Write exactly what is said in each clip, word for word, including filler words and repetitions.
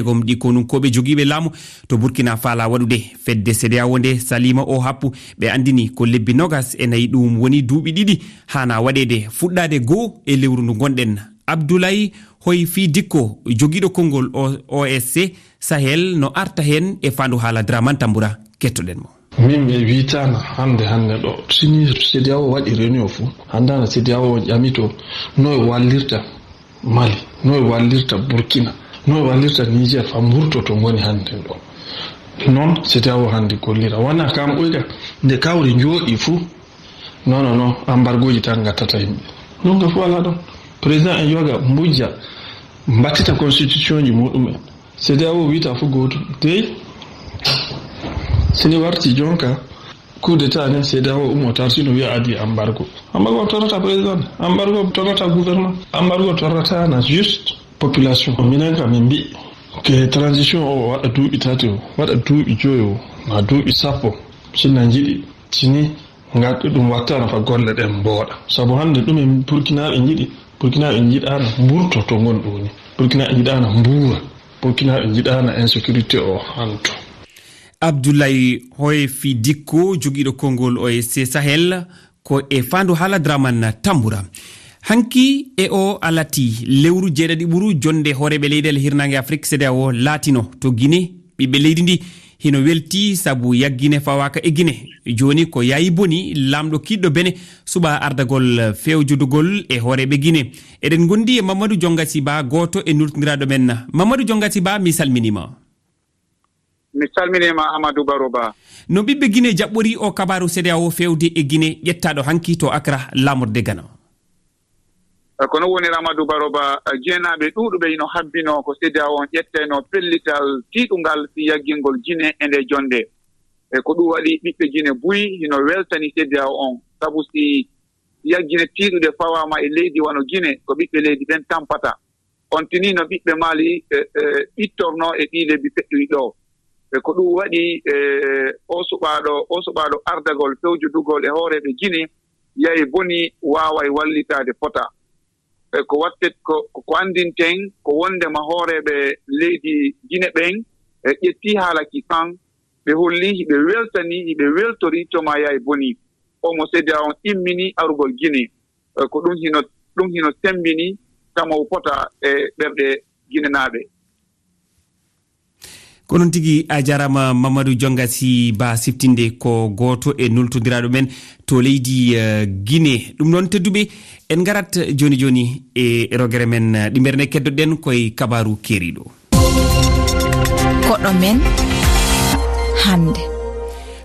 Gom ɗi konunkooɓe jogiiɓe laamu to Burkina faalaa waɗude. Fedde CEDEAO nde saliima o happu, ɓe anndini ko lebbi noogas e nayi, ɗum woni duuɓi ɗiɗi haana waɗeede, fuɗɗaade goo e lewru ndu ngonɗen. Abdoulaye Hoy Fii Dikko, jogiiɗo konngol O S C Sahel, no arta heen e faandu haala Draman Tambura. Kettoɗen mo. Min mi wiytaana hannde, hannde ɗo, sini CEDEAO waɗi réunion fuu, hanndaana CEDEAO on ƴamito no e wallirta Mali, no e wallirta Burkina, no e wallirta Niger, fa mburto to ngoni hannde ɗo. Noon CEDEAO hannde gollira. Wona kam ɓuyka, nde kawri njooɗi fuu, non, non, non, embargoji tan ngattata yimɓe. Ɗum ka fuu alaa ɗon. Président en yoga mbujja, mbattita constitution ji muɗum en. CEDEAO wiyta fuu gootum. Dey, sini warti jonka, coup d'état ne, CEDEAO ummo tarti no wiya adi embargo. Embargo torrata président, embargo torrata gouvernement, embargo torrata na juste population. Minen kam min mbi ke transition o waɗa duuɓi tati o, waɗa duuɓi joyi o, ma duuɓi sappo, sinna njiɗi, sini ngaddu ɗum wattana fa golle ɗen mbooɗa. Sabu hannde ɗum en Burkinaaɓe njiɗi, Burkinaaɓe njiɗaana mburto to ngon ɗum woni. Burkinaaɓe njiɗaana mbuura. Burkinaaɓe njiɗaana insécurité o hanto. Abdoulaye Hoefi Dikko, jogiiɗo konngol O S C Sahel, ko e faandu haala Dramane Tambura. Hanki e o alati lewru jeeɗaɗi ɓuru jonde hooreeɓe leyɗeele hirnaange Afrik, CEDEAO, laatino to Guinée. Ɓiɓɓe leydi ndi hino welti sabu yaggine fawaaka e Guinée. Jooni ko Yayi Boni, laamɗo kiiɗɗo Benin, suɓaa ardagol fewjodugol e hooreeɓe Guinée. Eɗen ngondi e Mamadou Jongasi Ba, gooto e nultondiraaɗo men. Mamadou Jongasi Ba, mi salminiima. Mi salminiima, Amadou Baro Ba. No ɓiɓɓe Guinée jaɓɓori o kabaaru CEDEAO fewde e Guinée ƴettaaɗo hanki to Accra, laamorde Ghana? E, ko no woni, Amadou Baro Ba, e, Guinéenaaɓe ɗuuɗuɓe ino habbinoo ko CEDEAO on ƴettayno pellital tiiɗungal fii yaggingol Guinée e nde jonde. E ko ɗum waɗi ɓiɓɓe Guinée buy hino weltani CEDEAO on, sabu si yaggine tiiɗuɗe fawaama e leydi wano Guinée, ko ɓiɓɓe leydi ɓen tampata. On tini no ɓiɓɓe Mali, e, e, ɓittornoo e ɗii lebbi feƴƴuɗi ɗoo. E ko ɗum waɗi, e, o suɓaaɗo, o suɓaaɗo ardagol fewjodugol e hooreeɓe Guinée, Yayi Boni, waaway wallitaade fota. E ko wattet ko, ko, ko anndinten ko wonndema hooreeɓe leydi Guinée ɓen, e, ƴettii haala ki san, ɓe holli hiɓe weltanii, hiɓe weltori toma Yayi Boni. O mo CEDEAO on immini arugol Guinée. E, ko ɗum hino, ɗum hino semmbini tama o fota e ɓerɗe Guinéenaaɓe. Ko noon tigi, a jaaraama Mamadou Jongasi Ba siftinde, ko gooto e nultondiraaɗo men to leydi, eh, Guinée. Ɗum noon, tedduɓe, en ngarat jooni jooni e rogere men, eh, ɗimmere nde keddoɗen koye kabaaru keeriiɗo. Koɗo men hannde.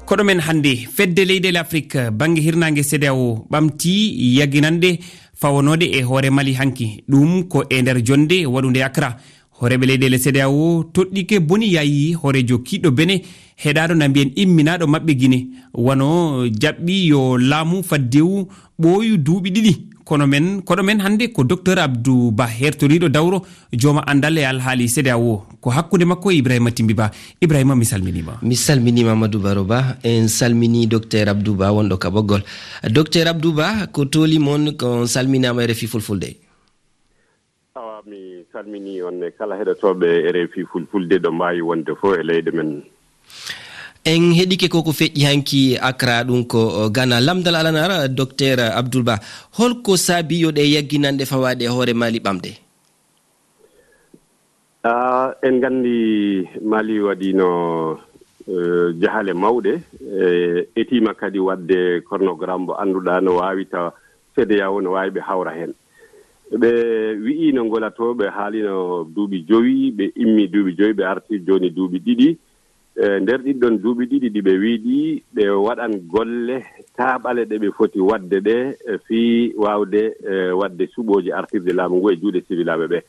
Koɗo men hannde, fedde leyɗeele Afrik, bannge hirnaange CEDEAO ɓamti yagginanɗe fawanooɗe e hoore Mali hanki. Ɗum ko e nder jonnde waɗunde Accra. Hooreeɓe leyɗeele CEDEAO toɗɗike Boni Yayi, hooreejo kiiɗɗo Benin, heɗaaɗo na mbiyen imminaaɗo maɓɓe Guinée, wano jaɓɓi yo laamu faddewu ɓooyu duuɓi ɗiɗi. Kono men, koɗo men hannde ko Docteur Abdou Ba, hertoriiɗo dawro, jooma anndal e alhaali CEDEAO. Ko hakkunde makko e Ibrahima Timbi Ba. Ibrahima, mi salminiima. Mi salminiima, Amadou Baro Ba. En salminii Docteur Abdou Ba, wonɗo ka ɓoggol. Docteur Abdou Ba, ko tooli mon, ko on salminaama e R F I Fulfulde. Awa, mi salminii on e kala heɗotooɓe R F I Fulfulde ɗo mbaawi wonde fof e leyɗe men. En heɗike ko ko feƴƴi hanki Accra, ɗum ko, o, Ghana. Lamndal alanara, Docteur Abdoul Ba, holko saabi yo ɗe yagginanɗe fawaaɗe e hoore Mali ɓamde? Ah, en nganndi Mali waɗiino, eh, jahale mawɗe, eh, etiima kadi waɗde chronogramme mo annduɗaa no waawi tawa CEDEAO no waawi ɓe hawra heen. Ɓe wi'iino ngolatoo, ɓe haaliino duuɓi jowi, ɓe immii duuɓi jowi, ɓe artii jooni duuɓi ɗiɗi. E nder ɗiɗɗon duuɓi ɗiɗi ɗi ɓe wi'i ɗi, ɓe waɗan golle taaɓale ɗe ɓe foti waɗde ɗe, e fii waawde, e, waɗde suɓooji artirde laamu ngu e juuɗe siwilaaɓe ɓe.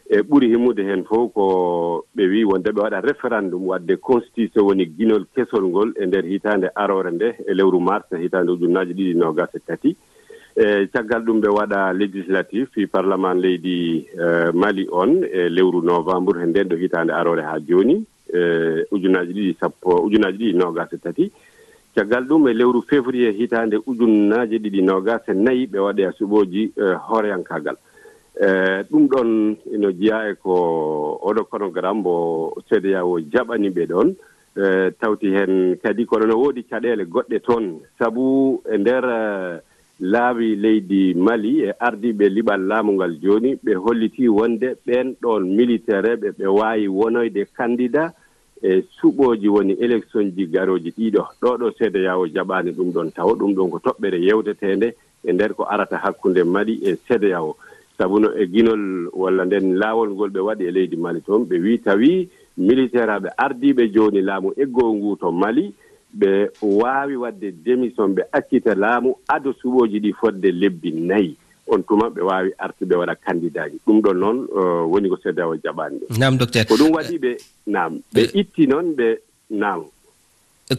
E ɓuri himmude heen fof ko ɓe wi'i wonde ɓe waɗa référendum waɗde constitution, woni ginol kesol ngol e nder hitaande aroore nde e lewru mars hitaande ujunnaaje ɗiɗi noogaas e tati. E caggal ɗum ɓe waɗa législatif fii parlement leydi, e, Mali on e lewru novembre he nden ɗo hitaande aroore haa jooni. E, ujunnaaji ɗiɗi sappo, ujunnaaji ɗiɗi noogaas e tati. Caggal ɗum, e lewru février hitaande ujunnaaje ɗiɗi noogaas e nayi, ɓe waɗoya suɓooji, e, hooreyankaagal. E ɗum ɗon ino jeyaa e ko oɗo konogaram mbo C D A O jaɓani ɓe ɗon. E tawti heen kadi kono no woodi caɗeele goɗɗe toon, sabu e nder e, laawi leydi Mali e ardiiɓe liɓal laamu ngal jooni, ɓe hollitii wonde ɓeen ɗoon militeereeɓe ɓe waawi wonoyde kandida e suɓooji woni eleksoñji garooji ɗiɗo. Ɗo ɗo C D A O jaɓaani ɗum ɗon tawo, ɗum ɗon ko toɓɓere yewteteende e nder ko arata hakkunde Mali e C D A O. Sabu no e ginol walla nden laawol ngol ɓe waɗi e leydi Mali toon, ɓe wii tawi militeeraaɓe ardiiɓe jooni laamu eggoowu ngu to Mali, ɓe waawi waɗde démission, ɓe accita laamu ado suɓooji ɗi fodde lebbi nayi. On tuma ɓe waawi artude waɗa kandidaaji. Ɗum ɗon noon, eh, woni ko C D A O jaɓaani ɗum. Naam, docteur. Ko ɗum waɗi ɓe, naam, ɓe Eh. itti noon, ɓe, naam.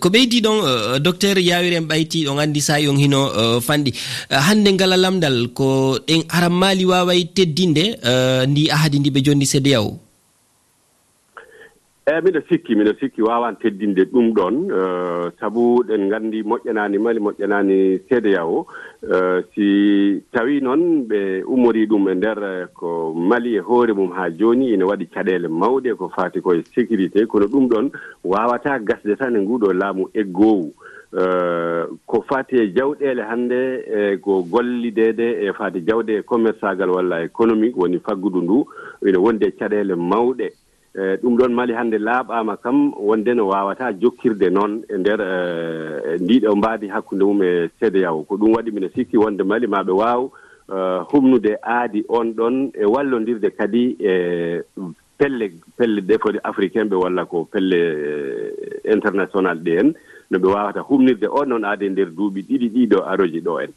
Ko ɓeydi ɗon, eh, docteur Yawir en ɓayti, on anndi saa'i on hino, eh, fanɗi. Eh, hannde ngala lamndal, ko ɗen haram Mali waaway teddinde, eh, ndi ahadi ndi ɓe jonni C D A O? Eey, miɗo sikki, miɗo sikki waawaan teddinde ɗum ɗoon, eh, sabu ɗen nganndi moƴƴanaani Mali, moƴƴanaani C D A O. Eh, si tawii noon ɓe ummorii ɗum e nder, eh, ko Mali e hoore mum haa jooni ina waɗi caɗeele mawɗe ko faati ko e sécurité, kono ɗum ɗoon waawataa gasde tan e nguɗo laamu eggoowu. Eh, ko faati e jawɗeele hannde, e ko gollideede e faati jawɗe e commerçagal walla économique woni faggudu ndu, ina wondi e caɗeele mawɗe. Eh, ɗum ɗoon Mali hannde laaɓaama kam wonde no waawataa jokkirde noon e nder, eh, ndiɗo mbaadi hakkunde mum e C D A O. Ko ɗum waɗi mino sikki wonde Mali maa ɓe waaw, eh, humnude aadi on ɗon e wallondirde kadi e pelle, pelle ɗe foti africain ɓe walla ko pelle, eh, international ɗe en, no ɓe waawata humnirde on ɗon aadi e nder duuɓi ɗiɗi ɗiɗo aroji ɗo en.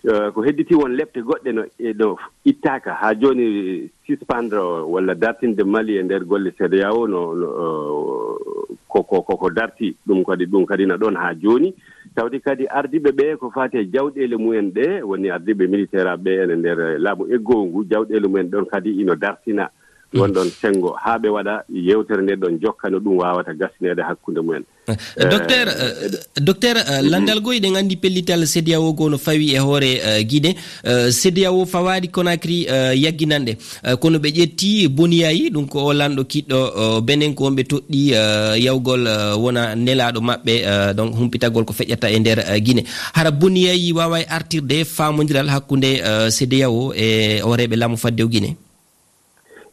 Eh, ko hedditi won lepte goɗɗe no, e no ittaaka haa jooni, suspendre walla dartinde Mali e nder golle C D A O no, no, eh, ko, ko, ko, ko darti ɗum kadi, ɗum kadi na ɗon haa jooni. Tawde kadi ardiiɓe ɓe ko faati e jawɗeele mumen ɗe, woni ardiiɓe militaire ɓe ene nder laamu eggoowu ngu, jawɗeele mumen ɗon kadi ino dartina won ɗon senngo haa ɓe waɗa yewtere nde ɗon jokka no ɗum waawata gasineede hakkunde mumen. Eh, docteur, eh, eh, docteur, eh, mhm. Lanndal goo, eɗen anndi pellital C D A O goo no fawi e hoore, eh, Guinée. Eh, C D A O fawaali Conakry, eh, yagginanɗe. Eh, kono ɓe ƴetti Boni Yayi, ɗum ko o lanɗo kiɗɗo, eh, Benin, ko on ɓe toɗɗi, eh, yawgol, eh, wona nelaaɗo maɓɓe, eh, donc humpitagol ko feƴƴata e nder, eh, Guinée. Hara Boni Yayi waaway artirde faamondiral hakkunde, eh, C D A O e hooreeɓe laamu faddewu Guinée?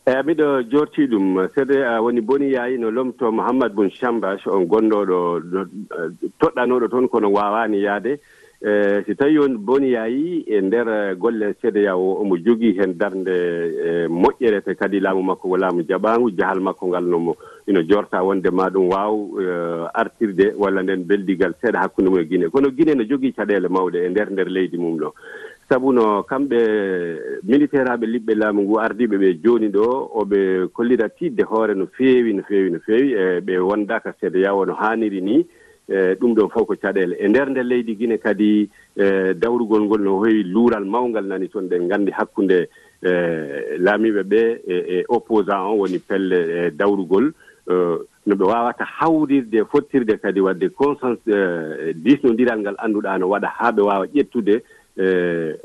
Eey, miɗo joortii ɗum. Seede, a woni Boni Yayi no lomtoo Mohamed Bun Chambash, on gonɗo ɗo, ɗo, eh, toɗɗanooɗo toon, kono waawaani yahde. Eh, si tawii on Boni Yayi e nder, eh, golle C D A O, omo jogii heen darnde, eh, moƴƴere, te kadi laamu makko ko laamu jaɓaangu, jahal makko ngal no mo, ino joorta wonde ma ɗum waaw, eh, artirde walla nden beldigal seeɗa hakkunde mum e Gine. Kono Gine no jogii caɗeele mawɗe e nder, nder leydi mum ɗo. Sabu no kamɓe militeeraaɓe liɓɓe laamu ngu ardiiɓe ɓe jooni ɗo, o ɓe kollira tiiɗde hoore no feewi, no feewi, no feewi, e ɓe wondaaka C D A O no haaniri ni. E ɗum ɗon fof ko caɗeele. E nder nde leydi Gine kadi, e dawrugol ngol no heewi luural mawngal nani toon. Ɗen nganndi hakkunde, e, laamiiɓe ɓe e, e opposant on woni pelle, e dawrugol, e, no ɓe waawata hawrirde, fottirde kadi waɗde consens-, e, diisnondiral ngal annduɗaa no waɗa haa ɓe waawa ƴettude, e,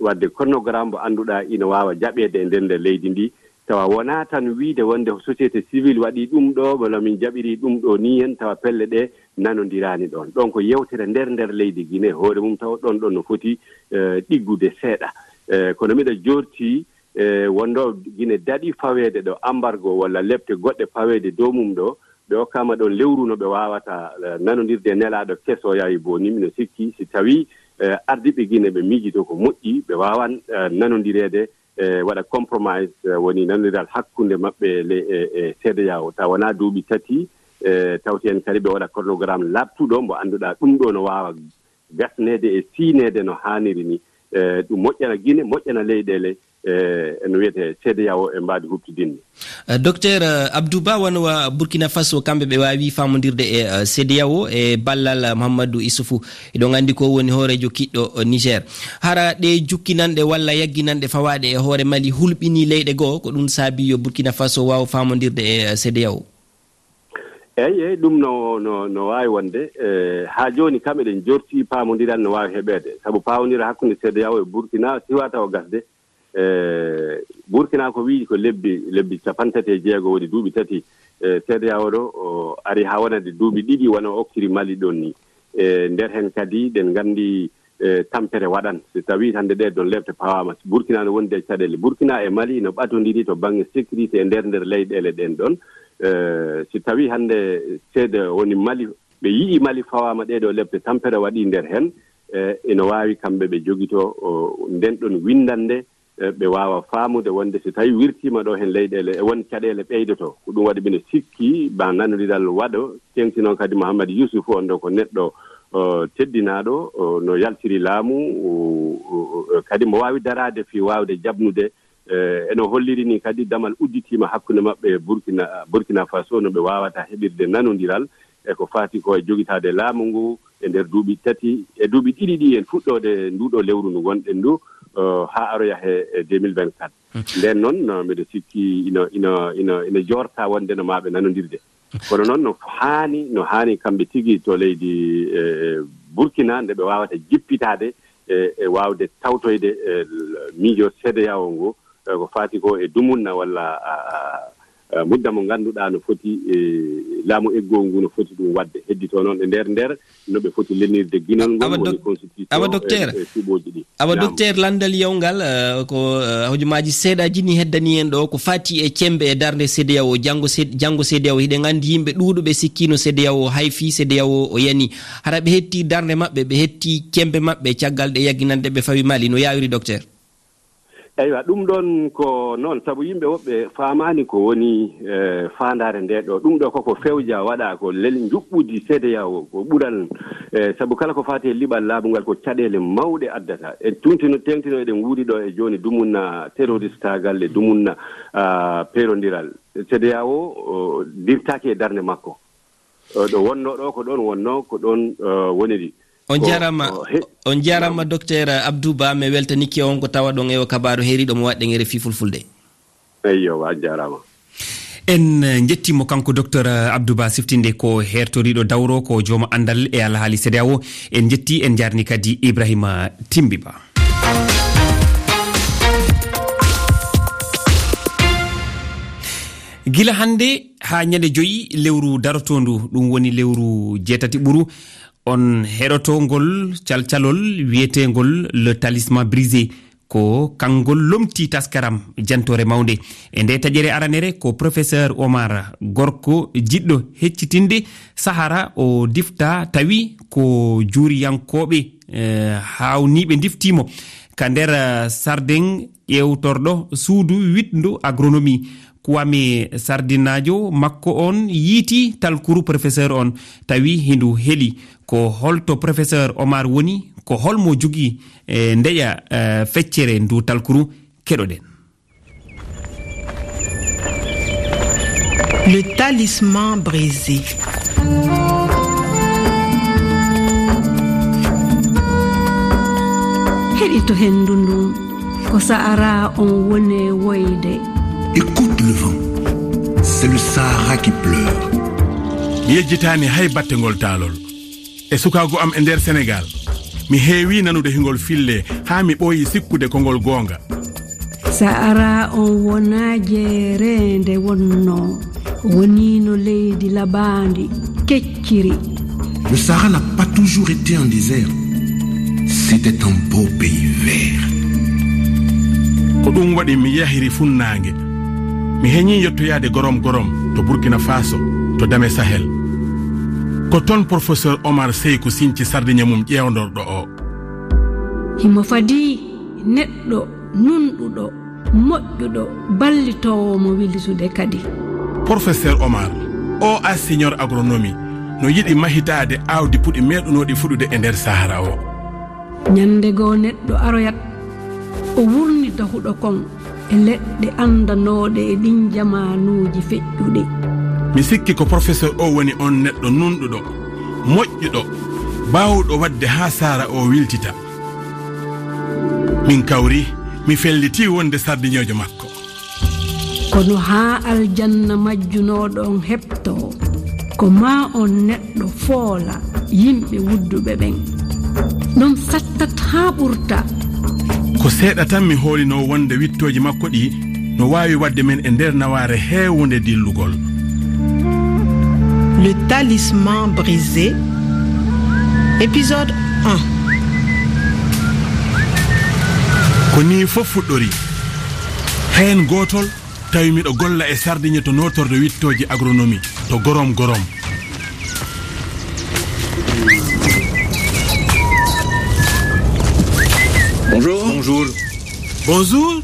waɗde chronogramme mo annduɗaa ina waawa jaɓeede e nder nde leydi ndi, tawa wonaa tan wiyde wonde ko société civile waɗi ɗum ɗo, walla min jaɓiri ɗum ɗo nii hen, tawa pelle ɗe nanondiraani ɗoon. Ɗoon ko yewtere nder, nder leydi Gine, hoore mum tawa ɗoon ɗoon no foti, e, ɗiggude seeɗa. E, kono miɗa joortii, e, wonɗo Gine daɗi faweede ɗo embargo walla lepte goɗɗe faweede dow mum ɗo, ɓe okkaama ɗoon lewru no ɓe waawata, e, nanondirde e nelaaɗo keso Yayi Boni. Mino sikki si tawii, e, ardiiɓe Gine ɓe miijitoo ko moƴƴi, ɓe waawan, e, nanondireede, e, waɗa compromise, e, woni nanondiral hakkunde maɓɓe le-, e, e C D A O. Tawa wonaa duuɓi tati, e, tawti en kadi ɓe waɗa chronogramme laaɓtuɗo mo annduɗaa ɗum ɗo no waawa gasneede e siyneede no haaniri ni. E, ɗum moƴƴana Gine, moƴƴana leyɗeele, e, no wiyetee C D A O e mbaadi huɓtidinni. Eh, Docteur, eh, Abdou Ba, wano wa Burkina Faso, kamɓe ɓe waawi faamondirde e, eh, C D A O e ballal, eh, Mahamadou Issoufou. Eɗon anndi ko woni hooreejo kiɗɗo, eh, Niger. Hara ɗe jukkinanɗe walla yagginanɗe fawaaɗe e hoore Mali hulɓinii leyɗe goo, ko ɗum saabii yo Burkina Faso waaw faamondirde e, eh, C D A O? Eey, eey, ɗum no, no, no waawi wonde. Eh, haa jooni kam eɗen jortii paamondiral no waawi heɓeede. Sabu paamondiral hakkunde C D A O e Burkina siwaa tawa gasde. E Burkina ko wiyi ko lebbi, lebbi capanɗe tati e jeego woni duuɓi tati, e, C E D E A O ɗo, o ari haa wonande duuɓi ɗiɗi wano okkiri Mali ɗon ni. E nder heen kadi, ɗen nganndi, e, tampere waɗan. Si tawii hannde ɗee ɗon lepte pawaama, Burkina no wondi e caɗeele. Burkina e Mali no ɓatondiri to bannge sécurité e nder, nder leyɗeele ɗen ɗon. E, si tawii hannde C E D E A O woni Mali, ɓe yi'i Mali fawaama ɗee ɗoo lepte, tampere waɗii nder heen, e, ina waawi kamɓe ɓe jogitoo, o, nden ɗon winndannde, e, ɓe waawa faamude wonde so tawii wirtiima ɗoo heen leyɗeele, e won caɗeele ɓeydotoo. Ko ɗum waɗi mbiɗo sikki ma nanondiral waɗo, teeŋti noon kadi Mouhammad Youssouf on ɗo ko neɗɗo, o, teddinaaɗo, o, no yaltiri laamu, o, o, o, kadi mo waawi daraade fii waawde jaɓnude, e, eno holliri ni kadi damal udditiima hakkunde maɓɓe e Burkina, Burkina Faso, no ɓe waawata heɓirde nanondiral e ko faati ko e jogitaade laamu ngu e nder duuɓi tati, e duuɓi ɗiɗi ɗi en fuɗɗoode ndu ɗo lewru ndu ngonɗen ndu, o, haa aroya he, e deux mille vingt-quatre. Hmm. Nden noon, no, mbiɗo sikki ino, ino, ino, ino joorta wonde no maa ɓe nanondirde. Kono noon no haani, no haani kamɓe tigi to leydi, e, Burkina, nde ɓe waawata jippitaade, e, e waawde tawtoyde, e, miijo C E D E A O ngo, e, ko faati ko e dumunna walla, a, a, a, mudda mo ngannduɗaa no foti, e, laamu eggoowu ngu no foti ɗum waɗde. Hedditoo noon e nder nder no ɓe foti lelnirde ginol ngol, awa woni dok-, constitution, awa docteur, e, e suɓooji ɗi. Awa naam. Docteur, lanndal yawngal, eh, ko, eh, hojomaaji seeɗaaji ni heddani en ɗo, ko faati e cemmbe e darnde C E D E A O. Janngo C-, janngo C E D E A O, hiɗen anndi yimɓe ɗuuɗuɓe sikkiino C E D E A O hay fii C E D E A O o yani. Hara ɓe hetti darnde maɓɓe, ɓe hetti cemmbe maɓɓe caggal ɗe yagginande ɓe fawi Mali, no yaawiri, docteur? Eywa, ɗum ɗoon ko noon, sabu yimɓe woɓɓe faamaani ko woni, eh, faandaare nde ɗo. Ɗum ɗo koko fewja waɗa ko lel njuɓɓudi C E D E A O, ko ɓural, eh, sabu kala ko faati e liɓal laabu ngal ko caɗeele mawɗe addata. En tuntino, teeŋtino eɗen nguuri ɗo e jooni dumunna terroristaagal e dumunna, ah, peerondiral. C E D E A O, o, dirtaaki e darnde makko. O, ɗo wonnoo ɗo, ko ɗoon wonnoo, ko ɗoon, o, woniri. On ko, njaaraama, o, he-, on njaaraama, naam. Docteur Abdou Ba, mi weltanike on ko tawa ɗon e o kabaaru heeriiɗo mo waɗɗen e R F I Fulfulde. Eyyo, a jaaraama. En, eh, njettii mo kanko docteur Abdou Ba siftinde ko heertoriiɗo dawro, ko jooma anndal e alhaali C E D E A O. En njettii, en njaarni kadi Ibrahima Timbi Ba. Gila hannde haa ñande joyi lewru darotoondu, ɗum woni lewru jeetati ɓuru, on heɗoto ngol calcalol wiyeteengol Le Talisman Brisé. Ko kangol lomti taskaram jantoore mawnde. E nde taƴere aranere ko professeur Omar, gorko jiɗɗo heccitinde Sahara, o difta tawi ko juuriyankooɓe, eh, haawniiɓe ndiftiimo ka nder, eh, sarden ƴeewtorɗo suudu wiɗndu agronomie. Kwame Sardinaajo makko on yiiti talkuru professeur on, tawi hindu heli. Ko holto professeur Omar woni? Ko holmo jogii, eh, ndeƴa, eh, feccere ndu talkuru? Keɗoɗen. Le talisman brisé. Heɗito henndu ndun. Ko Sahara on woni e woyde. Écoute le vent. C'est le Sahara qui pleure. Mi yejjitaani hay batte ngol taalol. E sukaagu am e nder Senegaal, mi heewi nanude hingol fille haa mi ɓooyi sikkude ko ngol goonga. Sahara on wonaa jeereende wonnoo. Woniino leydi labaandi, kecciri. Le Sahara n'a pas toujours été un désert. C'était un beau pays vert. Ko ɗum waɗi mi yahiri funnaange. Mi heñii yottoyaade gorom gorom to Burkina Faso, to Dame Sahel. Ko toon professeur Omar Seyku sinci sardiña mum ƴeewndorɗo o. Himo fadii neɗɗo nunɗuɗo, moƴƴuɗo, ballitoowo mo wilsude kadi. Professeur Omar, o ingénieur agronomie, no yiɗi mahitaade aawdi puɗi meeɗunooɗi fuɗude e nder Sahara o. Ñande goo neɗɗo aroyat, o wurnita huɗo kon e leɗɗe anndanooɗe e ɗin jamaanuuji feƴƴuɗi. Mi sikki ko professeur o woni on neɗɗo nunɗuɗo, moƴƴuɗo, baawɗo waɗde haa Sahara o wiltita. Min kawri, mi felliti wonde sardiñoojo makko. Kono haa aljanna majjunooɗo on heɓtoo, ko maa on neɗɗo foola yimɓe wudduɓe ɓen. Ɗon sattat haa ɓurta. Ko seeɗa tan mi hoolinoo wonde wiɗtooji makko ɗii no waawi waɗde min e nder nawaare heewunde dillugol. Le talisman brisé, épisode un. Ko nii fof fuɗɗori. Heen gootol, tawi miɗo golla e sardiŋe to nootorde wiɗtooji agronomie to Gorom Gorom. Bonjour. Bonjour. Bonjour.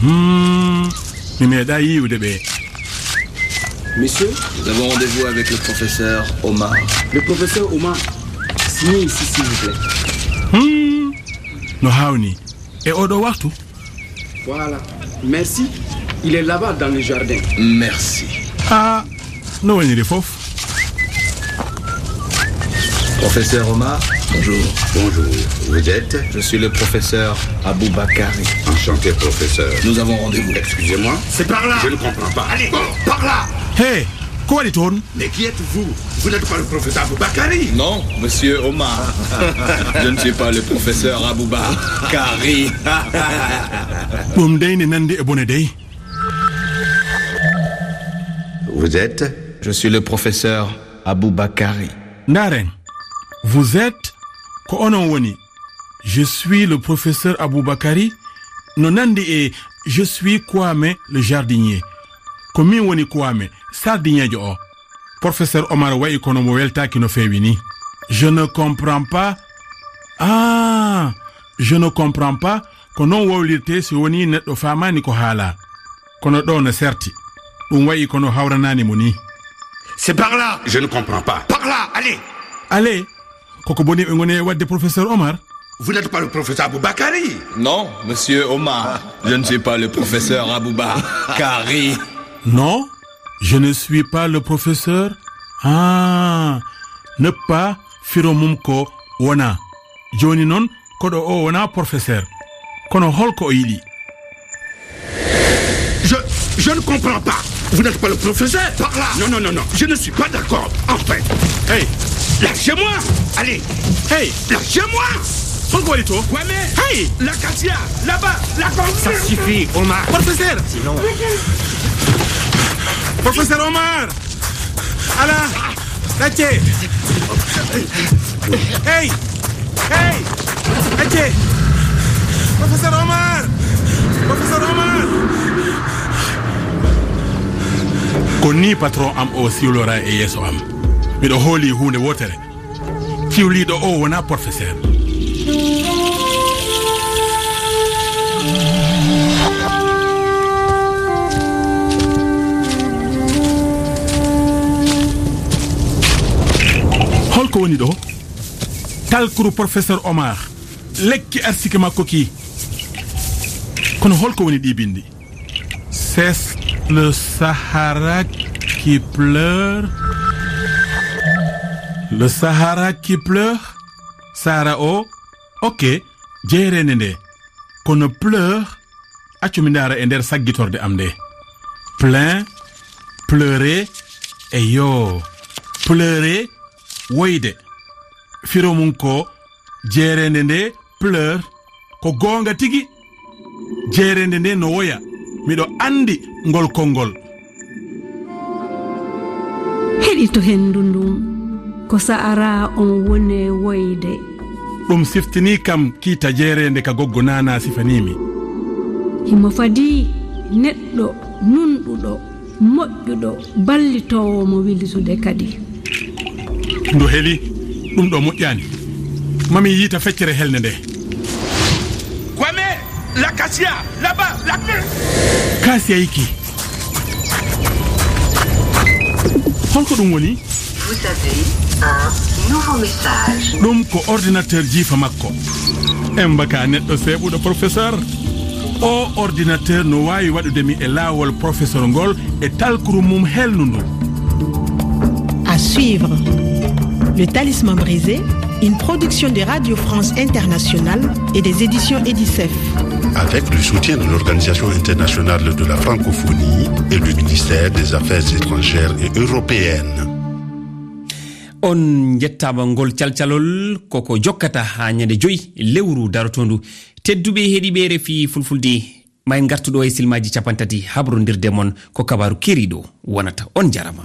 Hmm, mi meeɗaa yiiwde ɓe. Monsieur, nous avons rendez-vous avec le professeur Omar. Le professeur Omar, signez ici, s'il vous plaît. Hmm, no haawnii. E oɗo waktu? Voilà. Merci. Il est là-bas dans le jardin. Merci. Ah, no waɗi fof. Professeur Omar, bonjour. Bonjour. Vous êtes ? Je suis le professeur Aboubakari. Enchanté, professeur. Nous avons rendez-vous. Excusez-moi. C'est par là. Je ne comprends pas. Allez, par là. Hey, ko waɗi toon? Mais qui êtes-vous ? Vous n'êtes pas le professeur Aboubakari ? Non, monsieur Omar. Je ne suis pas le professeur Aboubakari. Ɗum dey ne nandi e bone dey. Vous êtes ? Je suis le professeur Aboubakari. Ndaaren, vous êtes, ko onon woni. Je suis le professeur Aboubakari, no nandi e je suis Kwame le jardinier. Ko min woni Kwame, sardiŋeejo o. Professeur Omar wayi kono mo weltaaki no feewi ni. Je ne comprends pas. Ah, je ne comprends pas. Ko noon wowlirtee si wonii neɗɗo faamaani ko haalaa. Kono ɗo no serti. Ɗum wayi kono hawranaani mo ni. C'est par là. Je ne comprends pas. Par là, allez. Allez. Koko boni ɓe ngoni e waɗde, professeur Omar? Vous n'êtes pas le professeur Aboubakari ? Non, monsieur Omar, je ne suis pas le professeur Aboubakari. Non, je ne suis pas le professeur. Ah, ne pas, firo mum ko wona. Jooni noon, koɗo o wona professeur. Kono holko o yiɗi? Je, je ne comprends pas. Vous n'êtes pas le professeur ? Par là. Non, non, non, non. Je ne suis pas d'accord. Enfin. Hey. Lâchez-moi. Allez. Hey. Lâchez-moi. Pourquoi les tours ? Kwame. Hey. L'acacia. Là-bas. La... Ça suffit, Omar. Professeur. Sinon. Professeur Omar. Ala. Ɗacce. Hey. Hey. Ɗacce. Professeur Omar. Professeur Omar. Ko ni patron am o siwlora e yeeso am. Miɗo hooli huunde wootere. Ciwliiɗo o wona professeur. Holko woni ɗo? Talkuru professeur Omar. Lekki arsike makko ki. Kono holko woni ɗi bindi? C'est le Sahara qui pleure. Le Sahara qui pleure. Sahara o. Ok. Jeereende nde. Kono pleure. Accu mi ndaara e nder saggitorde am nde. Plein, pleurer, e yo. Pleurer, woyde. Firo mum ko jeereende nde pleure, ko goonga tigi. Jeereende nde no woya. Miɗo anndi ngol konngol. Heɗito henndu ndun, ko Sahara on woni e woyde. Ɗum siftini kam kiita jeereende ka goggo Nana sifanii mi. Himo fadii neɗɗo nunɗuɗo, moƴƴuɗo, ballitoowo mo wilitude kadi. Ndu heli, ɗum ɗo moƴƴaani. Mami yiita feccere helnde nde. Kwame, l'acacia, là-bas, la... Kaasiyayki. Holko ɗum woni? Vous avez un nouveau message. Ɗum ko ordinateur jiifa makko. Embaka neɗɗo seeɓuɗo, professeur. O ordinateur no waawi waɗude mi e laawol professeur ngol e talkuru mum helnundu. À suivre. Le Talisman brisé, une production de Radio France Internationale et des éditions Edicef. Avec le soutien de l'Organisation internationale de la francophonie et le ministère des Affaires étrangères et européennes. On njettaama. Ngol calcalol koko jokkata haa ñande joy lewru darotondu. Tedduɓe heɗiiɓe R F I Fulfulde, ma en ngartu ɗo e silmaaji capantati habrondirde mon ko kabaaru keeriiɗo wonata. On jarama.